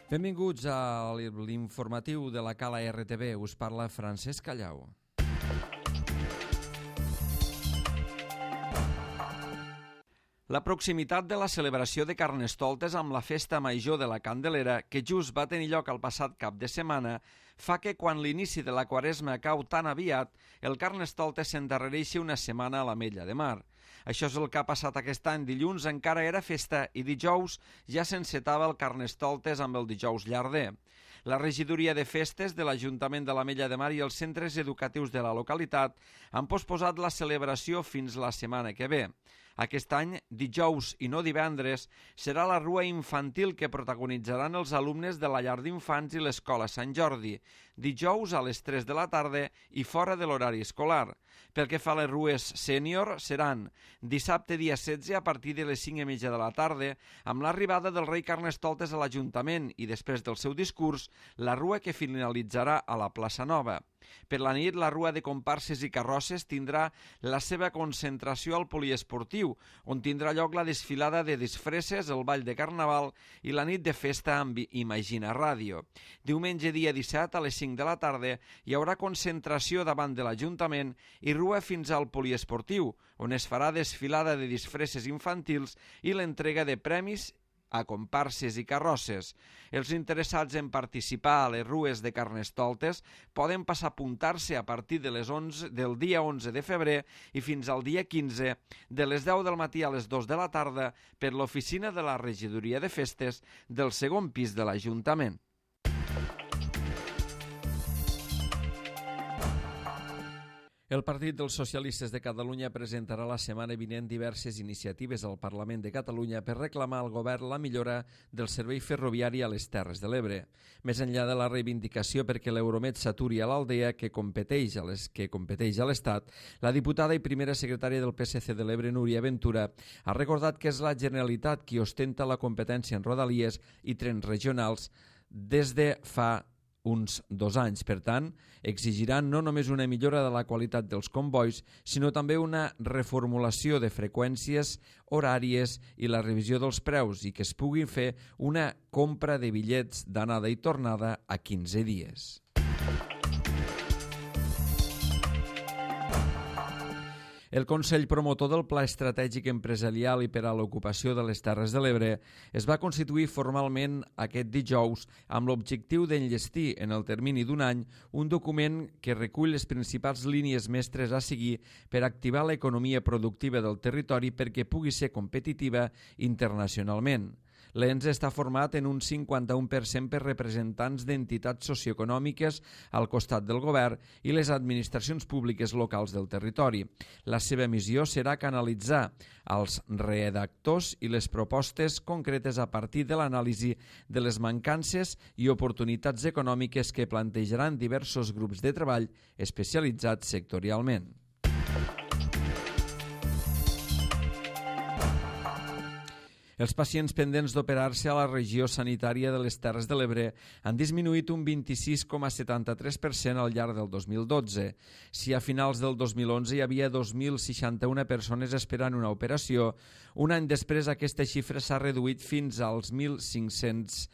Benvinguts a l'informatiu de la Cala RTV. Us parla Francesc Callau. La proximitat de la celebració de Carnestoltes amb la Festa Major de la Candelera, que just va tenir lloc el passat cap de setmana, fa que quan l'inici de la Quaresma cau tan aviat, el Carnestoltes s'endarrereixi una setmana a l'Ametlla de Mar. Això és el que ha passat aquest any. Dilluns encara era festa i dijous ja s'encetava el Carnestoltes amb el dijous llarder. La regidoria de festes de l'Ajuntament de l'Ametlla de Mar i els centres educatius de la localitat han posposat la celebració fins la setmana que ve. Aquest any, dijous i no divendres, serà la rua infantil que protagonitzaran els alumnes de la llar d'infants i l'escola Sant Jordi, dijous a les 3 de la tarda i fora de l'horari escolar. Pel que fa a les rues sènior, seran dissabte dia 16 a partir de les 5:30 de la tarda, amb l'arribada del rei Carnestoltes a l'Ajuntament i després del seu discurs, la rua que finalitzarà a la plaça Nova. Per la nit, la rua de comparses i carrosses tindrà la seva concentració al poliesportiu, on tindrà lloc la desfilada de disfresses, el ball de carnaval i la nit de festa amb Imagina Ràdio. Diumenge dia 17 a les 5 de la tarda hi haurà concentració davant de l'Ajuntament i rua fins al poliesportiu, on es farà desfilada de disfresses infantils i l'entrega de premis a comparses i carrosses. Els interessats en participar a les rues de Carnestoltes poden passar a apuntar-se a partir de les 11 del dia 11 de febrer i fins al dia 15, de les 10 del matí a les 2 de la tarda, per l'oficina de la regidoria de festes del segon pis de l'Ajuntament. El Partit dels Socialistes de Catalunya presentarà la setmana vinent diverses iniciatives al Parlament de Catalunya per reclamar al govern la millora del servei ferroviari a les Terres de l'Ebre. Més enllà de la reivindicació perquè l'Euromed s'aturi a l'Aldea que competeix a l'Estat, la diputada i primera secretària del PSC de l'Ebre, Núria Ventura, ha recordat que és la Generalitat qui ostenta la competència en rodalies i trens regionals des de fa uns 2 anys. Per tant, exigiran no només una millora de la qualitat dels combois, sinó també una reformulació de freqüències horàries i la revisió dels preus i que es pugui fer una compra de bitllets d'anada i tornada a 15 dies. El Consell Promotor del Pla Estratègic Empresarial i per a l'Ocupació de les Terres de l'Ebre es va constituir formalment aquest dijous amb l'objectiu d'enllestir en el termini d'un any un document que recull les principals línies mestres a seguir per activar l'economia productiva del territori perquè pugui ser competitiva internacionalment. L'ENS està format en un 51% per representants d'entitats socioeconòmiques al costat del govern i les administracions públiques locals del territori. La seva missió serà canalitzar els redactors i les propostes concretes a partir de l'anàlisi de les mancances i oportunitats econòmiques que plantejaran diversos grups de treball especialitzats sectorialment. Els pacients pendents d'operar-se a la regió sanitària de les Terres de l'Ebre han disminuït un 26,73% al llarg del 2012. Si a finals del 2011 hi havia 2.061 persones esperant una operació, un any després aquesta xifra s'ha reduït fins als 1.500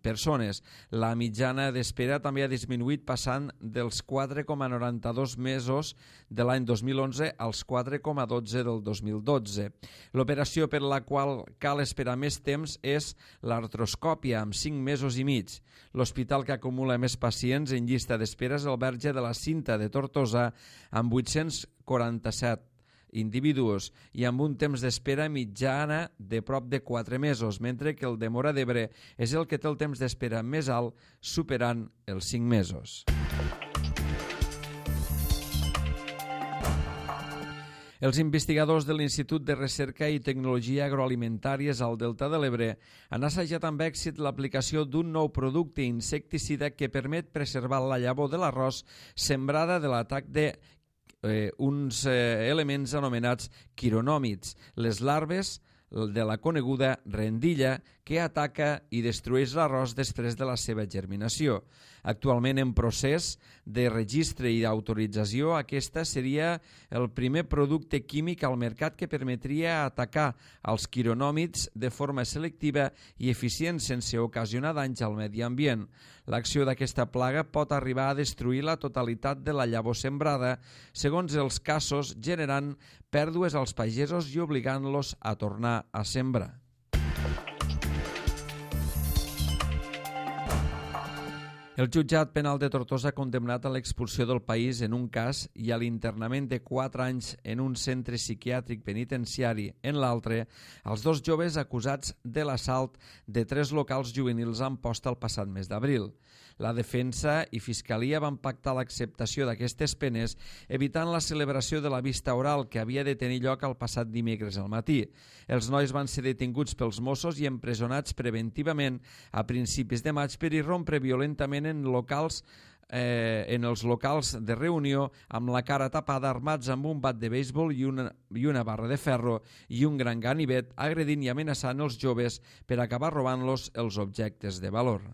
persones. La mitjana d'espera també ha disminuït passant dels 4,92 mesos de l'any 2011 als 4,12 del 2012. L'operació per la qual cal esperar més temps és l'artroscòpia, amb 5 mesos i mig. L'hospital que acumula més pacients en llista d'espera és el Verge de la Cinta de Tortosa, amb 847 individus i amb un temps d'espera mitjana de prop de 4 mesos, mentre que el de Móra d'Ebre és el que té el temps d'espera més alt, superant els 5 mesos. Els investigadors de l'Institut de Recerca i Tecnologia Agroalimentàries al Delta de l'Ebre han assajat amb èxit l'aplicació d'un nou producte insecticida que permet preservar la llavor de l'arròs sembrada de l'atac de uns elements anomenats quironòmids, les larves de la coneguda rendilla que ataca i destrueix l'arròs després de la seva germinació. Actualment en procés de registre i d'autorització, aquesta seria el primer producte químic al mercat que permetria atacar els quironòmids de forma selectiva i eficient sense ocasionar danys al medi ambient. L'acció d'aquesta plaga pot arribar a destruir la totalitat de la llavor sembrada, segons els casos, generant pèrdues als pagesos i obligant-los a tornar a sembrar. El jutjat penal de Tortosa ha condemnat a l'expulsió del país en un cas i a l'internament de 4 anys en un centre psiquiàtric penitenciari en l'altre als 2 joves acusats de l'assalt de 3 locals juvenils a Amposta el passat mes d'abril. La defensa i fiscalia van pactar l'acceptació d'aquestes penes, evitant la celebració de la vista oral que havia de tenir lloc el passat dimecres al matí. Els nois van ser detinguts pels Mossos i empresonats preventivament a principis de maig per irrompre violentament en els locals de reunió amb la cara tapada, armats amb un bat de béisbol i una barra de ferro i un gran ganivet, agredint i amenaçant els joves per acabar robant-los els objectes de valor.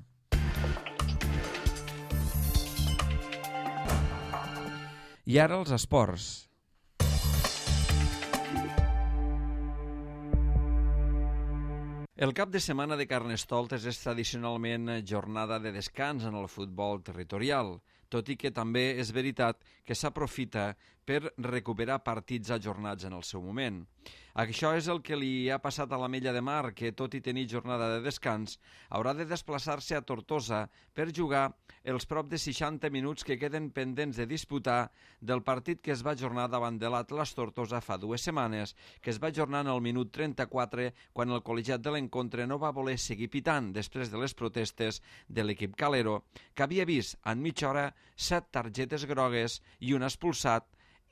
I ara els esports. El cap de setmana de Carnestoltes és tradicionalment jornada de descans en el futbol territorial, tot i que també és veritat que s'aprofita per recuperar partits ajornats en el seu moment. Això és el que li ha passat a l'Ametlla de Mar, que tot i tenir jornada de descans, haurà de desplaçar-se a Tortosa per jugar els prop de 60 minuts que queden pendents de disputar del partit que es va ajornar davant de l'Atlas Tortosa fa 2 setmanes, que es va ajornar en el minut 34 quan el col·legiat de l'encontre no va voler seguir pitant després de les protestes de l'equip calero, que havia vist en mitja hora 7 targetes grogues i un expulsat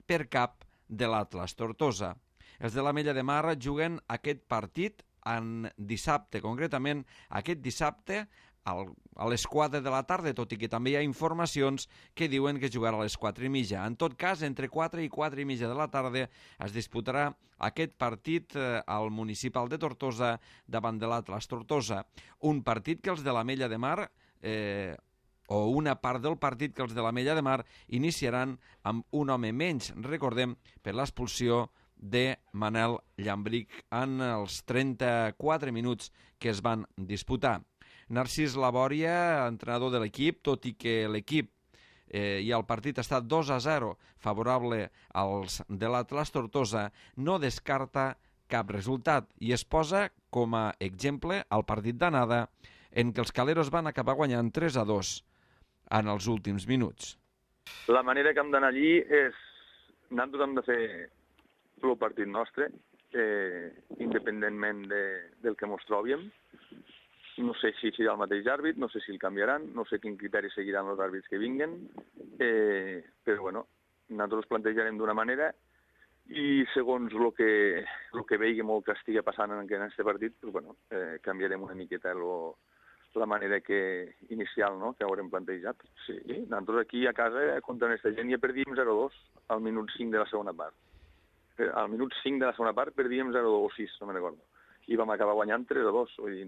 per cap de l'Atlas Tortosa. Els de l'Ametlla de Mar juguen aquest partit dissabte, concretament aquest dissabte a les 4 de la tarda, tot i que també hi ha informacions que diuen que jugarà a les 4:30. En tot cas, entre 4 i 4:30 de la tarda es disputarà aquest partit al Municipal de Tortosa davant de l'Atlas Tortosa. Un partit que els de l'Ametlla de Mar o una part del partit que els de l'Ametlla de Mar iniciaran amb un home menys, recordem, per l'expulsió de Manel Llambric en els 34 minuts que es van disputar. Narcís Labòria, entrenador de l'equip, tot i que l'equip i el partit ha estat 2-0 favorable als de l'Atlas Tortosa, no descarta cap resultat i es posa com a exemple el partit d'anada en què els caleros van acabar guanyant 3-2 en els últims minuts. La manera que hem d'anar allí és... Nosaltres hem de fer el partit nostre, independentment del que ens trobem. No sé si serà el mateix àrbit, no sé si el canviaran, no sé quin criteri seguiran els àrbits que vinguen, però bueno, nosaltres plantejarem d'una manera i segons el que veiguem o el que estigui passant en aquest partit, doncs, bueno, canviarem una miqueta la manera inicial, no?, que haurem plantejat. Sí, nosaltres aquí a casa contra aquesta gent ja perdíem 0-2 al minut 5 de la segona part. Al minut 5 de la segona part perdíem 0-2 o 6, no me'n recordo. I vam acabar guanyant 3-2. Vull dir,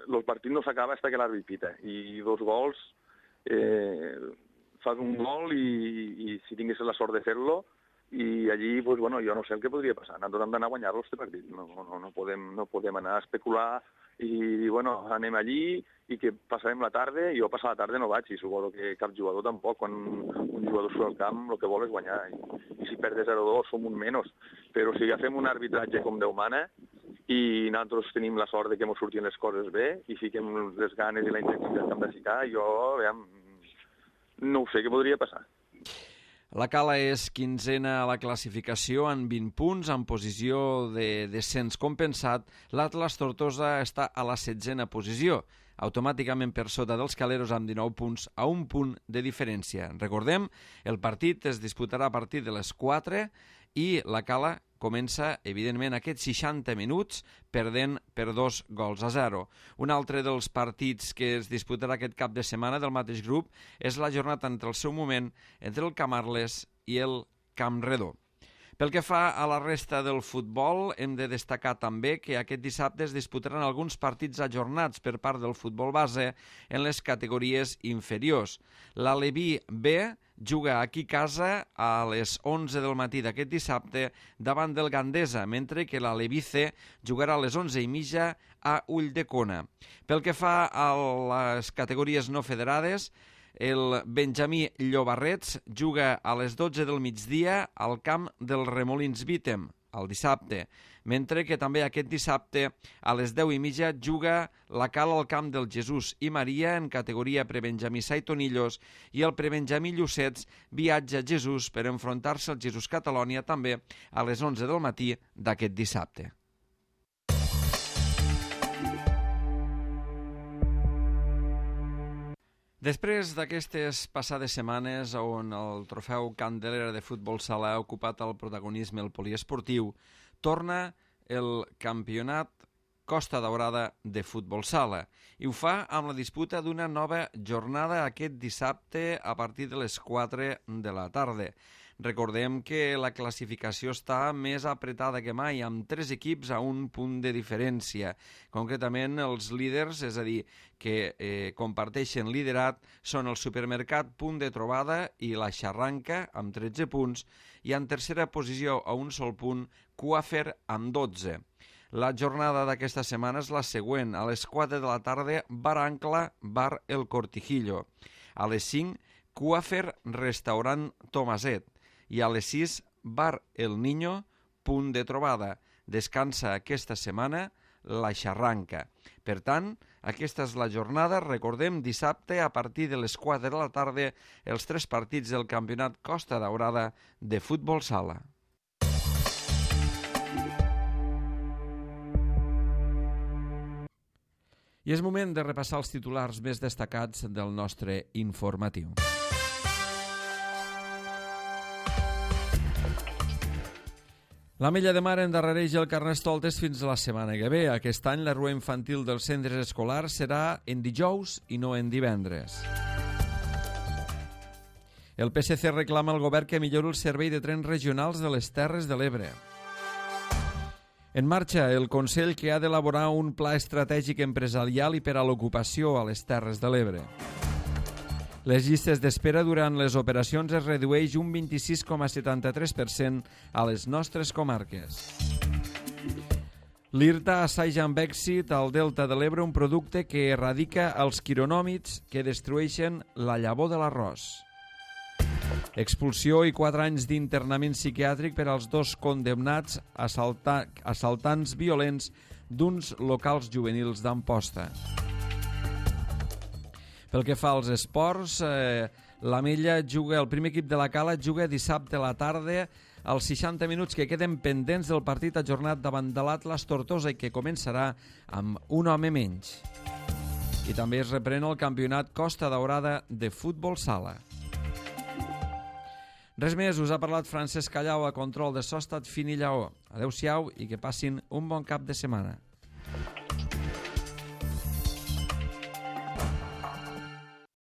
el partit no s'acaba fins que l'àrbit pita. I 2 gols, fas un gol i si tingués la sort de fer-lo, i allí, pues, bueno, jo no sé el que podria passar. Nosaltres hem d'anar a guanyar-lo, aquest partit. No podem anar a especular i dir, bueno, anem allí i que passarem la tarda. Jo passar la tarda no vaig i suposo que cap jugador tampoc. Quan un jugador surt al camp el que vol és guanyar. I si perdes 0-2 som un menys. Però si agafem un arbitratge com Déu mana i nosaltres tenim la sort de que ens surtin les coses bé i fiquem les ganes i la intensitat que hem de ficar, jo no ho sé què podria passar. La Cala és 15a a la classificació amb 20 punts, en posició de descens compensat. L'Atlas Tortosa està a la 16a posició, automàticament per sota dels caleros amb 19 punts a un punt de diferència. Recordem, el partit es disputarà a partir de les 4 i la Cala comença, evidentment, aquests 60 minuts perdent per 2-0. Un altre dels partits que es disputarà aquest cap de setmana del mateix grup és la jornada entre el seu moment entre el Camarles i el Camp Redó. Pel que fa a la resta del futbol, hem de destacar també que aquest dissabte es disputaran alguns partits ajornats per part del futbol base en les categories inferiors. L'Aleví B juga aquí a casa a les 11 del matí d'aquest dissabte davant del Gandesa, mentre que l'Aleví C jugarà a les 11:30 a Ulldecona. Pel que fa a les categories no federades, el Benjamí Llobarrets juga a les 12 del migdia al camp del Remolins Vítem, el dissabte, mentre que també aquest dissabte a les 10:30 juga la Cal al camp del Jesús i Maria en categoria prebenjamí Saitonillos i el prebenjamí Llucets viatja a Jesús per enfrontar-se al Jesús Catalònia també a les 11 del matí d'aquest dissabte. Després d'aquestes passades setmanes on el trofeu Candelera de futbol sala ha ocupat el protagonisme el poliesportiu, torna el campionat Costa Daurada de futbol sala i ho fa amb la disputa d'una nova jornada aquest dissabte a partir de les 4 de la tarda. Recordem que la classificació està més apretada que mai, amb 3 equips a un punt de diferència. Concretament, els líders, és a dir, que comparteixen liderat, són el Supermercat Punt de Trobada i la Xarranca, amb 13 punts, i en tercera posició, a un sol punt, Coafer, amb 12. La jornada d'aquesta setmana és la següent. A les 4 de la tarda, Bar Ancla, Bar El Cortijillo. A les 5, Coafer, Restaurant Tomaset. I a les 6, Bar El Niño, Punt de Trobada. Descansa aquesta setmana la Xarranca. Per tant, aquesta és la jornada. Recordem, dissabte, a partir de les 4 de la tarda, els 3 partits del campionat Costa Daurada de futbol sala. I és moment de repassar els titulars més destacats del nostre informatiu. L'Ametlla de Mar endarrereix el Carnestoltes fins a la setmana que ve. Aquest any la rua infantil dels centres escolars serà en dijous i no en divendres. El PSC reclama al govern que millori el servei de trens regionals de les Terres de l'Ebre. En marxa el Consell que ha d'elaborar un pla estratègic empresarial i per a l'ocupació a les Terres de l'Ebre. Les llistes d'espera durant les operacions es redueix un 26,73% a les nostres comarques. L'IRTA assaja amb èxit al Delta de l'Ebre un producte que erradica els quironòmids que destrueixen la llavor de l'arròs. Expulsió i 4 anys d'internament psiquiàtric per als 2 condemnats assaltants violents d'uns locals juvenils d'Amposta. Pel que fa als esports, l'Ametlla juga, el primer equip de la Cala juga dissabte a la tarda als 60 minuts que queden pendents del partit ajornat davant de l'Atlas Tortosa i que començarà amb un home menys. I també es reprèn el campionat Costa Daurada de futbol sala. Res més, us ha parlat Francesc Callau a control de so, Estat Fin i Lleó. Adéu-siau i que passin un bon cap de setmana.